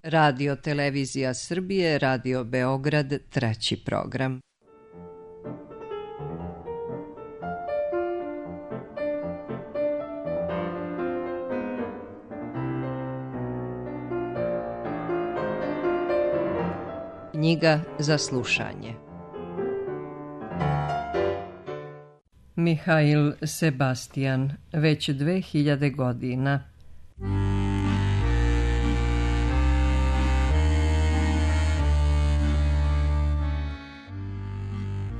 Radio Televizija Srbije, Radio Beograd, 3. program. Knjiga za slušanje. Mihail Sebastian, već 2000 godina.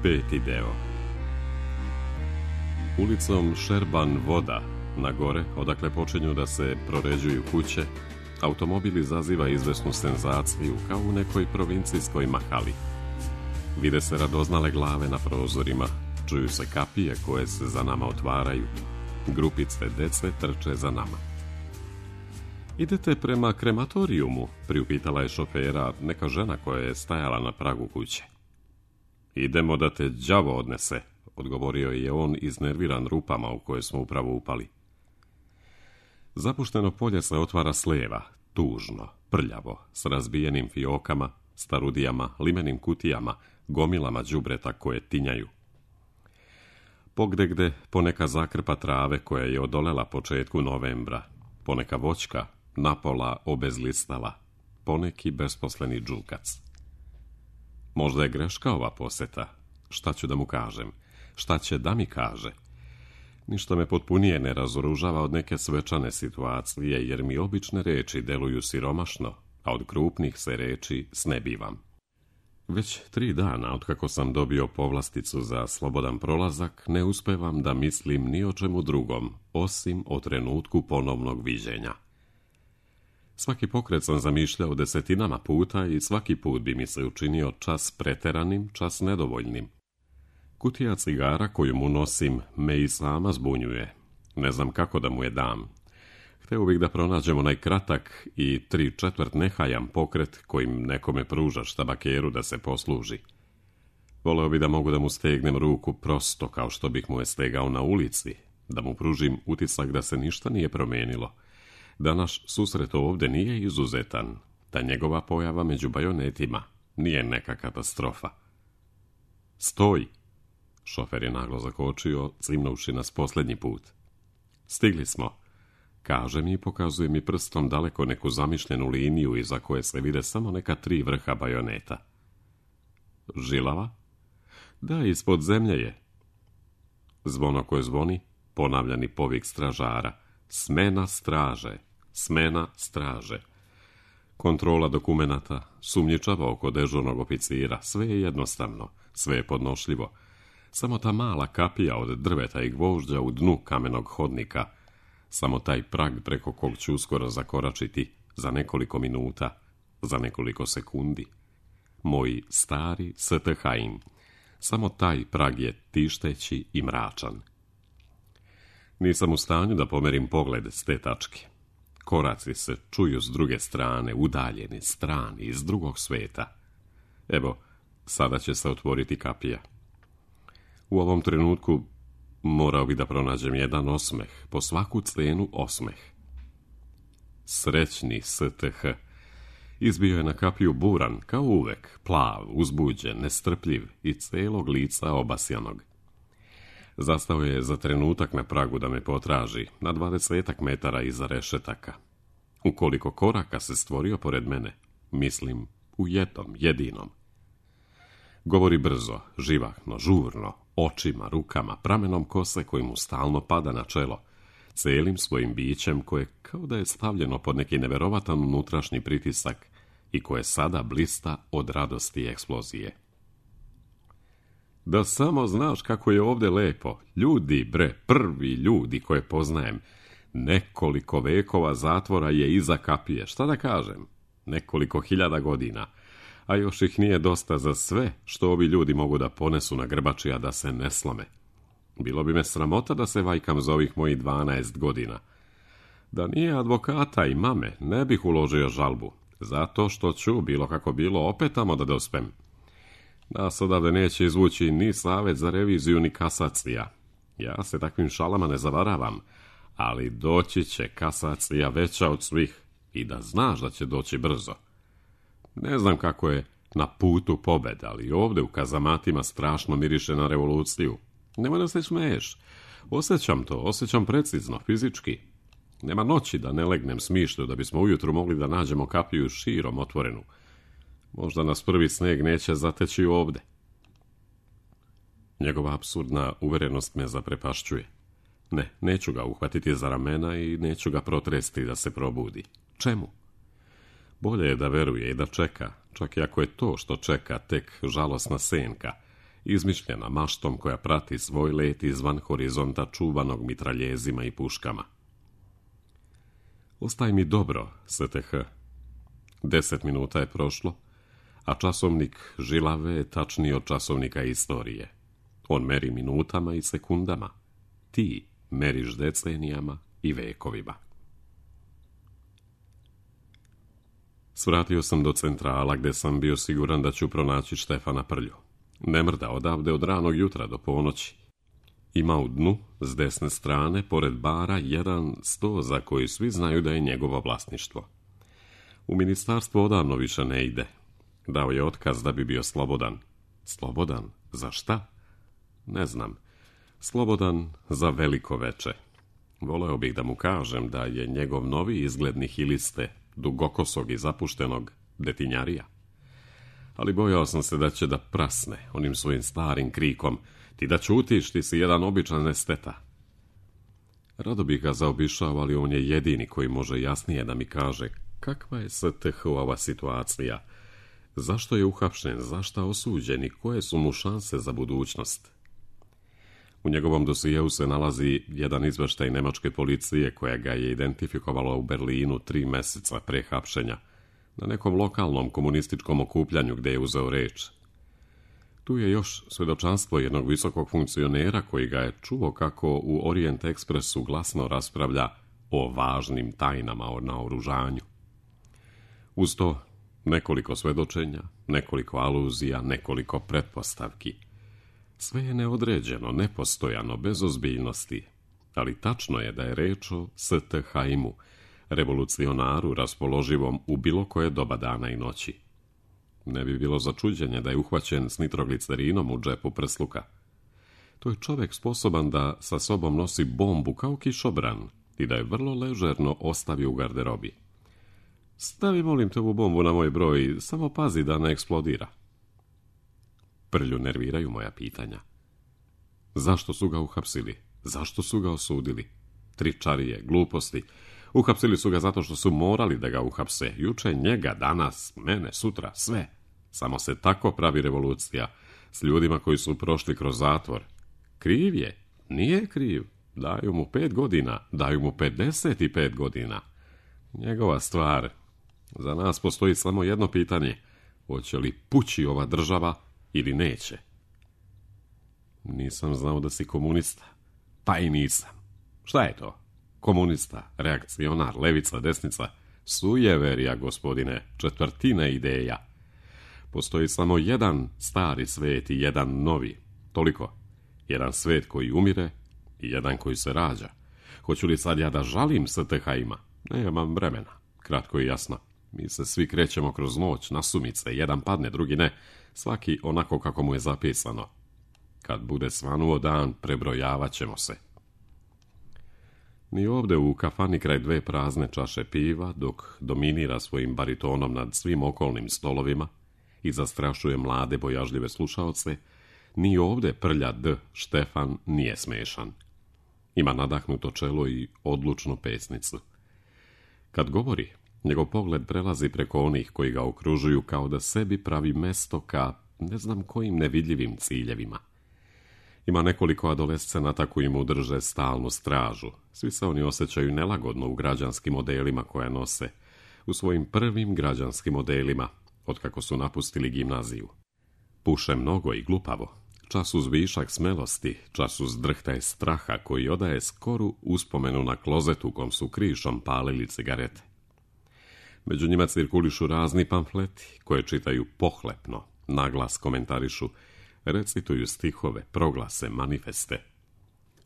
Peti deo. Ulicom Šerban Voda, na gore, odakle počinju da se proređuju kuće, automobil izaziva izvesnu senzaciju kao u nekoj provincijskoj mahali. Vide se radoznale glave na prozorima, čuju se kapije koje se za nama otvaraju, grupice dece trče za nama. Idete prema krematorijumu, priupitala je šofera neka žena koja je stajala na pragu kuće. Idemo da te đavo odnese, odgovorio je on iznerviran rupama u koje smo upravo upali. Zapušteno polje se otvara s lijeva, tužno, prljavo, s razbijenim fiokama, starudijama, limenim kutijama, gomilama đubreta koje tinjaju. Pogdegde poneka zakrpa trave koja je odolela početku novembra, poneka voćka, napola obezlistala, poneki besposleni džulkac. Možda je greška ova poseta. Šta ću da mu kažem? Šta će da mi kaže? Ništa me potpunije ne razoružava od neke svečane situacije, jer mi obične reči deluju siromašno, a od krupnih se reči snebivam. Već 3 dana, otkako sam dobio povlasticu za slobodan prolazak, ne uspevam da mislim ni o čemu drugom, osim o trenutku ponovnog viđenja. Svaki pokret sam zamišljao desetinama puta i svaki put bi mi se učinio čas preteranim, čas nedovoljnim. Kutija cigara koju mu nosim me i sama zbunjuje. Ne znam kako da mu je dam. Hteo bih da pronađemo najkratak i 3/4 nehajam pokret kojim nekome pružaš tabakeru da se posluži. Voleo bi da mogu da mu stegnem ruku prosto kao što bih mu je stegao na ulici, da mu pružim utisak da se ništa nije promenilo, da naš susret ovdje nije izuzetan, da njegova pojava među bajonetima nije neka katastrofa. Stoj! Šofer je naglo zakočio, cimnuvši nas posljednji put. Stigli smo, kaže mi i pokazuje mi prstom daleko neku zamišljenu liniju iza koje se vide samo neka 3 vrha bajoneta. Žilava? Da, ispod zemlje je. Zvono koje zvoni, ponavljani povik stražara. Smena straže, smena straže. Kontrola dokumenata, sumnjičava oko dežurnog oficira, sve je jednostavno, sve je podnošljivo. Samo ta mala kapija od drveta i gvožđa u dnu kamenog hodnika, samo taj prag preko kog ću uskoro zakoračiti za nekoliko minuta, za nekoliko sekundi. Moj stari STH-im, samo taj prag je tišteći i mračan. Nisam u stanju da pomerim pogled s te tačke. Koraci se čuju s druge strane, udaljeni, strani, iz drugog sveta. Evo, sada će se otvoriti kapija. U ovom trenutku morao bi da pronađem jedan osmeh, po svaku cenu osmeh. Srećni STH. Izbio je na kapiju buran, kao uvek, plav, uzbuđen, nestrpljiv i celog lica obasjanog. Zastao je za trenutak na pragu da me potraži, na 20 metara iza rešetaka. U koliko koraka se stvorio pored mene, mislim, u jednom, jedinom. Govori brzo, živahno, žurno, očima, rukama, pramenom kose koji mu stalno pada na čelo, celim svojim bićem koje kao da je stavljeno pod neki neverovatan unutrašnji pritisak i koje sada blista od radosti i eksplozije. Da samo znaš kako je ovdje lepo. Ljudi, bre, prvi ljudi koje poznajem. Nekoliko vekova zatvora je iza kapije. Šta da kažem? Nekoliko 1000 godina. A još ih nije dosta za sve što ovi ljudi mogu da ponesu na grbači, a da se ne slome. Bilo bi me sramota da se vajkam za ovih mojih 12 godina. Da nije advokata i mame, ne bih uložio žalbu. Zato što ću, bilo kako bilo, opet tamo da dospem. Nas odavde neće izvući ni Savet za reviziju, ni kasacija. Ja se takvim šalama ne zavaravam, ali doći će kasacija veća od svih i da znaš da će doći brzo. Ne znam kako je na putu pobjede, ali ovdje u kazamatima strašno miriše na revoluciju. Nemoj da se smeješ. Osjećam to, osjećam precizno, fizički. Nema noći da ne legnem smišlju da bismo ujutru mogli da nađemo kapiju širom otvorenu. Možda nas prvi sneg neće zateći ovdje. Njegova apsurdna uverenost me zaprepašćuje. Ne, neću ga uhvatiti za ramena i neću ga protresti da se probudi. Čemu? Bolje je da veruje i da čeka, čak i ako je to što čeka tek žalosna senka, izmišljena maštom koja prati svoj let izvan horizonta čuvanog mitraljezima i puškama. Ostaj mi dobro, STH. 10 minuta je prošlo, a časovnik žilave je tačniji od časovnika istorije. On meri minutama i sekundama. Ti meriš decenijama i vekovima. Svratio sam do centrala gdje sam bio siguran da ću pronaći Štefana Prlju. Ne mrda odavde od ranog jutra do ponoći. Ima u dnu, s desne strane, pored bara, jedan sto za koji svi znaju da je njegovo vlasništvo. U ministarstvo odavno više ne ide. Dao je otkaz da bi bio slobodan. Slobodan? Za šta? Ne znam. Slobodan za veliko veče. Voleo bih da mu kažem da je njegov novi izgled nihiliste, dugokosog i zapuštenog detinjarija. Ali bojao sam se da će da prasne onim svojim starim krikom: ti da ćutiš, ti si jedan običan esteta. Rado bih ga zaobišao, ali on je jedini koji može jasnije da mi kaže kakva je STH-ova situacija, zašto je uhapšen, zašto osuđen i koje su mu šanse za budućnost. U njegovom dosijeu se nalazi jedan izveštaj nemačke policije koja ga je identifikovala u Berlinu 3 meseca pre hapšenja, na nekom lokalnom komunističkom okupljanju gdje je uzeo reč. Tu je još svjedočanstvo jednog visokog funkcionera koji ga je čuo kako u Orient Expressu glasno raspravlja o važnim tajnama o naoružanju. Uz to nekoliko svjedočenja, nekoliko aluzija, nekoliko pretpostavki. Sve je neodređeno, nepostojano, bez ozbiljnosti, ali tačno je da je reč o STH-imu, revolucionaru raspoloživom u bilo koje doba dana i noći. Ne bi bilo za čuđenje da je uhvaćen s nitroglicerinom u džepu prsluka. To je čovjek sposoban da sa sobom nosi bombu kao kišobran i da je vrlo ležerno ostavi u garderobi. Stavi, molim te, ovu bombu na moj broj, samo pazi da ne eksplodira. Prlju nerviraju moja pitanja. Zašto su ga uhapsili? Zašto su ga osudili? Tričarije, gluposti. Uhapsili su ga zato što su morali da ga uhapse. Juče njega, danas, mene, sutra, sve. Samo se tako pravi revolucija s ljudima koji su prošli kroz zatvor. Kriv je? Nije kriv. Daju mu 5 godina, daju mu 55 godina. Njegova stvar. Za nas postoji samo jedno pitanje. Hoće li pući ova država ili neće? Nisam znao da si komunista. Pa i nisam. Šta je to? Komunista, reakcionar, levica, desnica, sujeverija, gospodine, četvrtina ideja. Postoji samo jedan stari svet i jedan novi. Toliko. Jedan svet koji umire i jedan koji se rađa. Hoću li sad ja da žalim STH-ima? Nemam vremena. Kratko i jasno. Mi se svi krećemo kroz noć, nasumice, jedan padne, drugi ne. Svaki onako kako mu je zapisano. Kad bude svanuo dan, prebrojavat ćemo se. Ni ovdje u kafani kraj 2 prazne čaše piva, dok dominira svojim baritonom nad svim okolnim stolovima i zastrašuje mlade bojažljive slušaoce, ni ovdje Prlja D. Štefan nije smešan. Ima nadahnuto čelo i odlučnu pesnicu. Kad govori, njegov pogled prelazi preko onih koji ga okružuju kao da sebi pravi mesto ka ne znam kojim nevidljivim ciljevima. Ima nekoliko adolescenata koji mu drže stalnu stražu. Svi se oni osjećaju nelagodno u građanskim modelima koje nose, u svojim prvim građanskim modelima, otkako su napustili gimnaziju. Puše mnogo i glupavo, čas uz višak smelosti, čas uz drhtaj straha koji odaje skoru uspomenu na klozet u kom su krišom palili cigarete. Među njima cirkulišu razni pamfleti koje čitaju pohlepno, naglas komentarišu, recituju stihove, proglase, manifeste.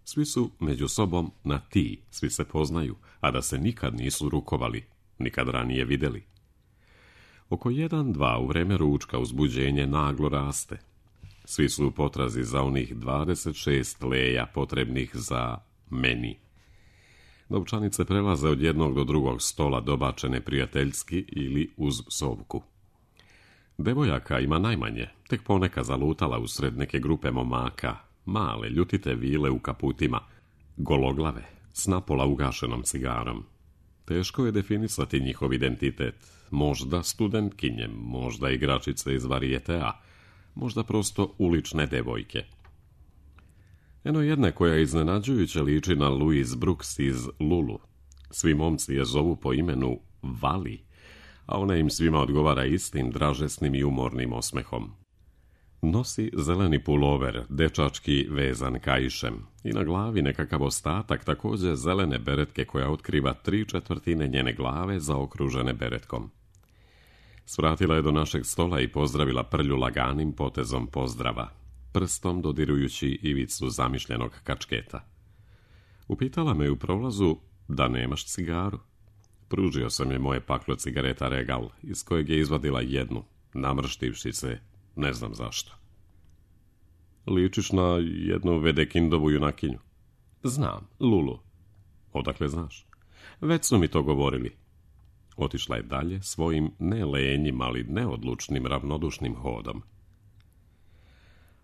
Svi su među sobom na ti, svi se poznaju, a da se nikad nisu rukovali, nikad ranije vidjeli. Oko 1-2 u vreme ručka uzbuđenje naglo raste. Svi su u potrazi za onih 26 leja potrebnih za meni. Novčanice prelaze od jednog do drugog stola dobačene prijateljski ili uz psovku. Devojaka ima najmanje, tek poneka zalutala usred neke grupe momaka, male, ljutite vile u kaputima, gologlave, s napola ugašenom cigarom. Teško je definisati njihov identitet, možda studentkinje, možda igračice iz varijetea, možda prosto ulične devojke. Eno jedne koja iznenađujuće liči na Louise Brooks iz Lulu. Svi momci je zovu po imenu Vali, a ona im svima odgovara istim dražesnim i umornim osmehom. Nosi zeleni pulover, dečački vezan kaišem, i na glavi nekakav ostatak također zelene beretke koja otkriva 3/4 njene glave zaokružene beretkom. Svratila je do našeg stola i pozdravila Prlju laganim potezom pozdrava, prstom dodirujući ivicu zamišljenog kačketa. Upitala me u prolazu da nemaš cigaru. Pružio sam je moje paklo cigareta Regal, iz kojeg je izvadila jednu, namrštivši se, ne znam zašto. Ličiš na jednu Vedekindovu junakinju. Znam, Lulu. Odakle znaš? Već su mi to govorili. Otišla je dalje svojim ne lenjim, ali neodlučnim, ravnodušnim hodom.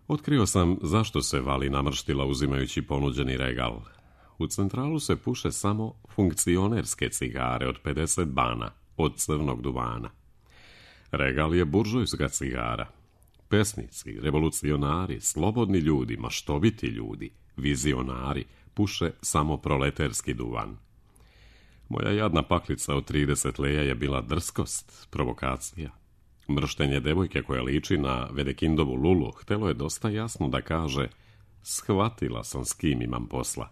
Otkrio sam zašto se Vali namrštila uzimajući ponuđeni Regal. U centralu se puše samo funkcionerske cigare od 50 bana, od crnog duvana. Regal je buržujska cigara. Pesnici, revolucionari, slobodni ljudi, maštoviti ljudi, vizionari, puše samo proleterski duvan. Moja jadna paklica od 30 leja je bila drskost, provokacija. Mrštenje devojke koja liči na Vedekindovu Lulu htelo je dosta jasno da kaže: shvatila sam s kim imam posla.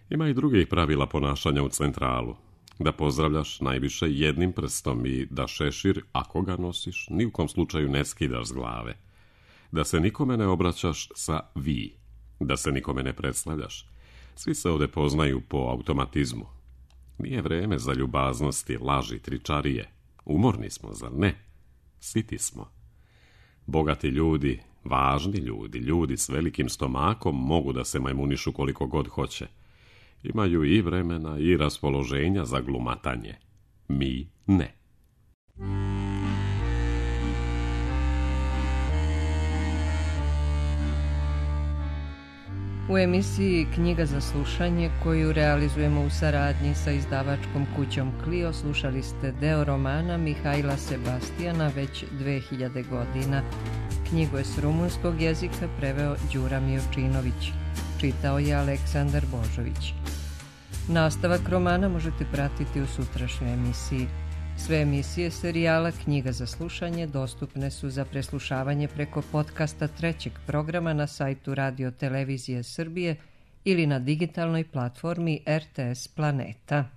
Ima i drugih pravila ponašanja u centralu. Da pozdravljaš najviše jednim prstom i da šešir, ako ga nosiš, ni u kom slučaju ne skidaš s glave. Da se nikome ne obraćaš sa vi. Da se nikome ne predstavljaš. Svi se ovdje poznaju po automatizmu. Nije vreme za ljubaznosti, laži, tričarije. Umorni smo, zar ne? Siti smo. Bogati ljudi, važni ljudi, ljudi s velikim stomakom mogu da se majmunišu koliko god hoće. Imaju i vremena i raspoloženja za glumatanje. Mi ne. U emisiji Knjiga za slušanje, koju realizujemo u saradnji sa izdavačkom kućom Clio, slušali ste deo romana Mihajla Sebastijana Već 2000 godina. Knjigu je s rumunskog jezika preveo Đura Mijovčinović. Čitao je Aleksandar Božović. Nastavak romana možete pratiti u sutrašnjoj emisiji. Sve emisije serijala Knjiga za slušanje dostupne su za preslušavanje preko podcasta trećeg programa na sajtu Radio Televizije Srbije ili na digitalnoj platformi RTS Planeta.